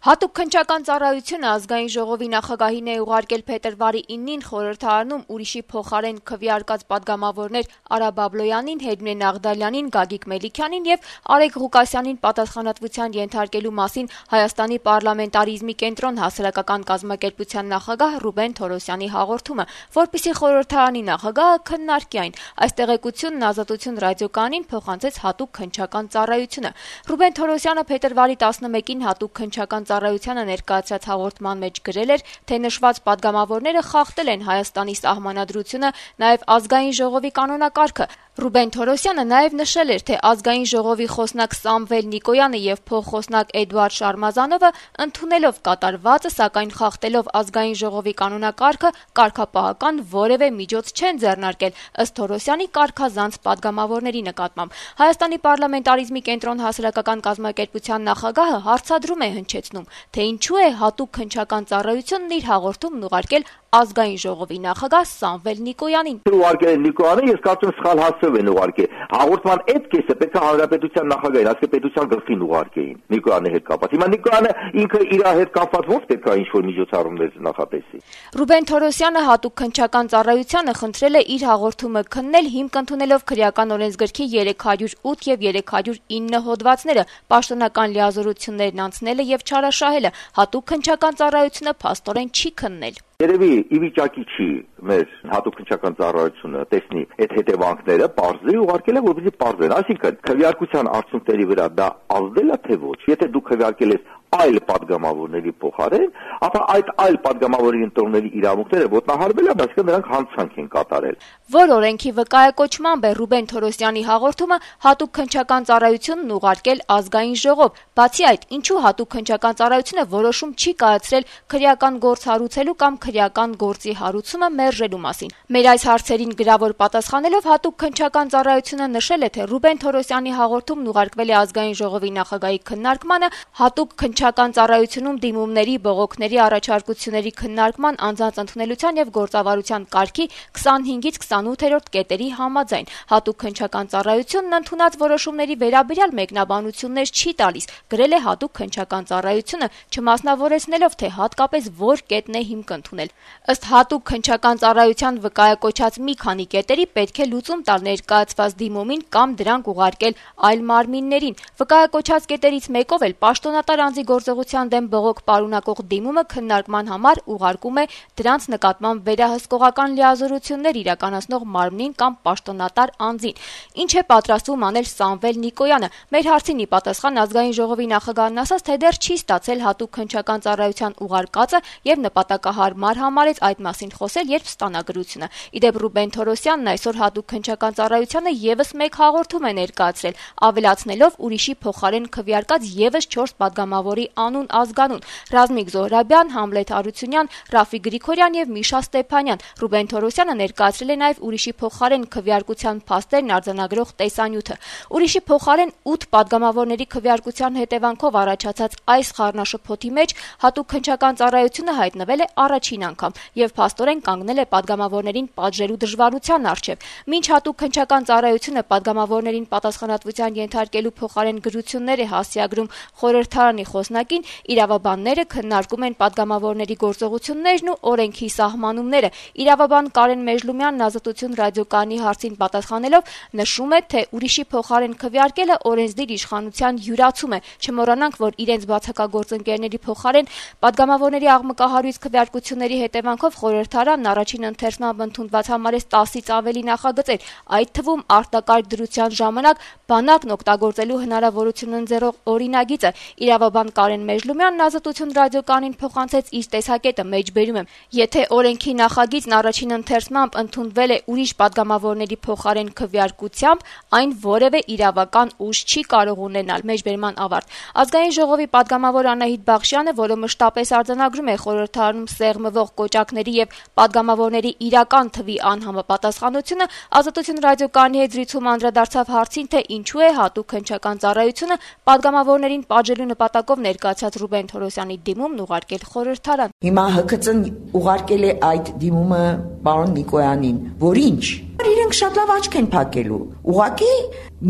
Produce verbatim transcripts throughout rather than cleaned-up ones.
Հատուկ քննչական ծառայությունը ազգային ժողովի նախագահին է ուղարկել փետրվարի իննին խորհրդարանում ուրիշի փոխարեն քվեարկած պատգամավորներ Արա Բաբլոյանին, Հերմինե Նաղդալյանին, Գագիկ Մելիքյանին եւ Արեգ Ղուկասյանին պատասխանատվության ենթարկելու մասին Հայաստանի պարլամենտարիզմի կենտրոն հասարակական կազմակերպության նախագահ Ռուբեն Թորոսյանի հաղորդումը, որպեսզի խորհրդարանի նախագահը քննարկի այն։ Այս տեղեկությունն Ազատություն ռադիոկայանին փոխանցեց հատուկ քննչական ծառայությունը։ Ռուբեն Թորոսյանը փետրվարի տասնմեկին հատուկ քննչական ծառայությանը ներկայացրած հաղորդման մեջ գրել էր, թե նշված պատգամավորները խախտել են Հայաստանի սահմանադրությունը, նաև ազգային ժողովի կանոնակարգը։ Ռուբեն Թորոսյանը նաև նշել էր, թե ազգային ժողովի խոսնակ Սամվել Նիկոյանը եւ փոխխոսնակ Էդուարդ Շարմազանովը ընդունելով կատարվածը, սակայն խախտելով ազգային ժողովի կանոնակարգը, կարգապահական որևէ միջոց չեն ձեռնարկել, ըստ Թորոսյանի կարգազանց պատգամավորների նկատմամբ։ Հայաստանի պարլամենտարիզմի կենտրոն հասարակական կազմակերպության նախագահը հարցադրում է հնչեցնում, թե ինչու է հատուկ քննչական ծառայությունն իր հաղորդումն ուղարկել ազգային ժողովի նախագահ Սամվել Նիկոյանին։ Ուղարկել Նիկոյանը, ես կարծում եմ սխալ հասցրել են ուղարկել։ Հաղորդման այդ կեսը պետք է հանրապետության նախագահին, ասկե պետության գլխին ուղարկեին Նիկոյանի հետ կապված։ Հիմա Նիկոյանը ինքը իր հետ կապված ո՞ց պետք է ինչ-որ միջոցառումներ նախատեսի։ Ռուբեն Թորոսյանը հատուկ քննչական ծառայությանը խնդրել է իր հաղորդումը քննել հիմք ընդունելով քրեական օրենսգրքի երեք հարյուր ութ եւ երեք հարյուր ինը հոդվածները, պաշտոնական լիազորություններն անցնելը եւ չարաշահելը։ Հատուկ քննչական ծառայությունը փաստորեն չի քննել։ Երևի ի վիճակի չի մեր հատուկ քննչական ծառայությունը տեսնի այդ հետևանքները, բարձրի ուղարկել է, որպեսզի բարձրեն, այսինքն քվեարկության արդյունքների վրա դա ազդել է թե ոչ։ Եթե դու քվեարկել ես այլ պատգամավորների փոխարեն, ապա այդ այլ պատգամավորի ընտրողների իրավունքները ոտնահարվել են, այսինքն նրանք հանցանք են կատարել։ Որ օրենքի վկայակոչմամբ է Ռուբեն Թորոսյանի հաղորդումը հատուկ քննչական ծառայությունն ուղարկել ազգային ժողով։ Բացի այդ, ինչու հատուկ քննչական ծառայությունը որոշում չի կայացրել քրեական գործ հարուցելու կամ քրեական գործի հարուցումը մերժելու մասին։ Մեր այս հարցերին գրավոր պատասխանելով հատուկ քննչական ծառայությունը նշել է, թե Ռուբեն Թորոսյանի հաղորդումն ուղարկվել է ազգային ժողովի նախագահի քննարկմանը, հատուկ քննչական ծառայությունում դիմումների, բողոքների, առաջարկությունների քննարկման, անձանց ընդունելության եւ գործավարության կարգի քսանհինգից քսանութերորդ կետերի համաձայն։ Հատուկ քննչական ծառայությունն ընդունած որոշումների վերաբերյալ մեկնաբանություններ չի տալիս, գրել է հատուկ քննչական ծառայությունը, չմասնավորեցնելով, թե հատկապես որ կետն է հիմք ընդունել։ Ըստ հատուկ քննչական ծառայության վկայակոչած մի քանի կետերի պետք է լուծում տալ ներկայացված դիմումին կամ դրանք ուղարկել այլ մարմիններին։ Վկայակոչած կետերից մեկով էլ պաշտոնատար անձի գործողության դեմ բողոք պարունակող դիմումը քննարկման համար ուղարկում է դրանց նկատմամբ վերահսկողական լիազորություններ իրականացնող մարմնին կամ պաշտոնատար անձին։ Ինչ է պատրաստվում անել Սամվել Նիկոյանը։ Մեր հարցին ի պատասխան ազգային ժողովի նախագահն ասաց, թե դեռ չի ստացել հատուկ քննչական ծառայության ուղարկածը եւ նպատակահարմար համարեց այդ մասին խոսել, երբ ստանա գրությունը։ Իդեպ Ռուբեն Թորոսյանն այսօր հատուկ քննչական ծառայությանը եւս մեկ հաղորդում է ներկայացրել, ավելացնելով ուրիշի փոխարեն քվեարկած եւս չորս պատգամավորի անուն ազգանուն՝ Ռազմիկ Զոհրաբյան, Համլետ Հարությունյան, Ռաֆիկ Գրիգորյան եւ Միշա Ստեփանյան։ Ռուբեն Թորոսյանը ներկայացրել է նաեւ ուրիշի փոխարեն քվեարկության փաստերն արձանագրող տեսանյութը։ Ուրիշի փոխարեն ութ պատգամավորների քվեարկության հետևանքով առաջացած այս խառնաշփոթի մեջ հատուկ քննչական ծառայությունը հայտնվել է առաջին անգամ եւ փաստորեն կանգնել է պատգամավորներին պատժելու դժվարության առջեւ։ Մինչ հատուկ քննչական ծառայությունը պատգամավորներին պատասխանատվության ենթարկելու փոխարեն գրություններ է հասցեագրում խորհրդարանի խոսնակին, իրավաբանները քննարկում են պատգամավորների գործողություններն ու օրենքի սահմանումները։ Իրավաբան Կարեն Մեժլումյանն Ազատություն ռադիոկայանի հարցին պատասխանելով նշում է, թե ուրիշի փոխարեն քվեարկելը օրենսդիր իշխանության յուրացում է։ Չմոռանանք, որ իրենց բացակագործընկերների փոխարեն պատգամավորների աղմկահարույց քվեարկությունների հետևանքով խորհրդարանն առաջին ընթերցմամբ ընդունված համարեց տասից ավելի նախագծեր, այդ թվում արտակարգ դրության ժամանակ բանակն օգտագործելու հնարավորություն ընձեռող օրինագիծը։ Իրավաբան Կարեն Մեժլումյանն Ազատություն ռադիոկայանին փոխանցեց իր տեսակետը, մեջբերում եմ. Եթե օրենքի նախագիծն առաջին ընթերցմամբ ընդունվել է ուրիշ պատգամավորների փոխարեն քվեարկությամբ, այն որևէ իրավական ուժ չի կարող ունենալ։ Մեջբերման ավարտ։ Ազգային ժողովի պատգամավոր Անահիտ Բախշյանը, որը մշտապես արձանագրում է խորհրդարանում սեղմվող կոճակների եւ պատգամավորների իրական թվի անհամապատասխանությունը, Ազատություն ռադիոկայանի հետ զրույցում անդրադարձավ հարցին, թե ինչու է հատուկ քննչական ծառայությունը պատգամավորներին պատժելու նպատակով ներկայացած Ռուբեն Թորոսյանի դիմումն ուղարկել խորհրդարան։ Հիմա ՀԿՑ-ն ուղարկել է այդ դիմումը պարոն Նիկոյանին, որ ինչ։ Իրենք իրենք շատ լավ աչք են փակելու։ Ուղղակի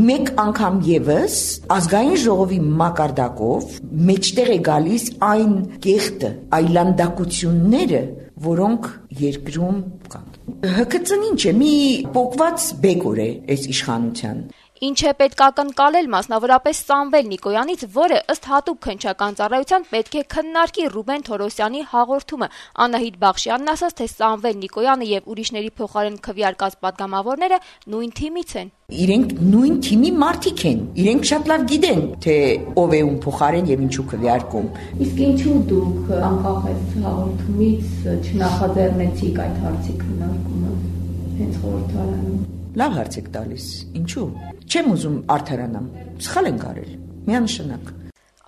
մեկ անգամ եւս ազգային ժողովի մակարդակով մեջտեղ է գալիս այն կեղտը, այլանդակությունները, որոնք երկրում կան։ Հ K C-ն ինչ է, մի փոկված բեկոր է այս իշխանության։ Ինչ է պետք ակնկալել մասնավորապես Սամվել Նիկոյանից, որը ըստ հատուկ քննչական ծառայության պետք է քննարկի Ռուբեն Թորոսյանի հաղորդումը։ Անահիտ Բախշյանն ասաց, թե Սամվել Նիկոյանը եւ ուրիշների փոխարեն քվեարկած պատգամավորները նույն թիմից են։ Իրենք նույն թիմի մարդիկ են։ Իրենք շատ լավ գիտեն, թե ով է ում փոխարեն եւ ինչու քվեարկում։ Իսկ ինչու դուք անկախ այս հաղորդումից չնախաձեռնեցիք այդ հարցի քննարկումը հենց խորհրդարանում։ Լավ հարց եք տալիս։ Ինչու՞։ Չեմ ուզում արդարանամ։ Սխալ են արել։ Միանշանակ։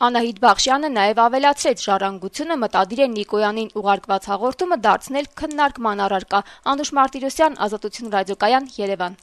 Անահիտ Բախշյանը նաև ավելացրեց, ժառանգությունը մտադիր է Նիկոյանին ուղարկված հաղորդումը դարձնել քննարկման առարկա։ Անուշ Մարտիրոսյան, Ազատություն ռադիոկայան, Երևան։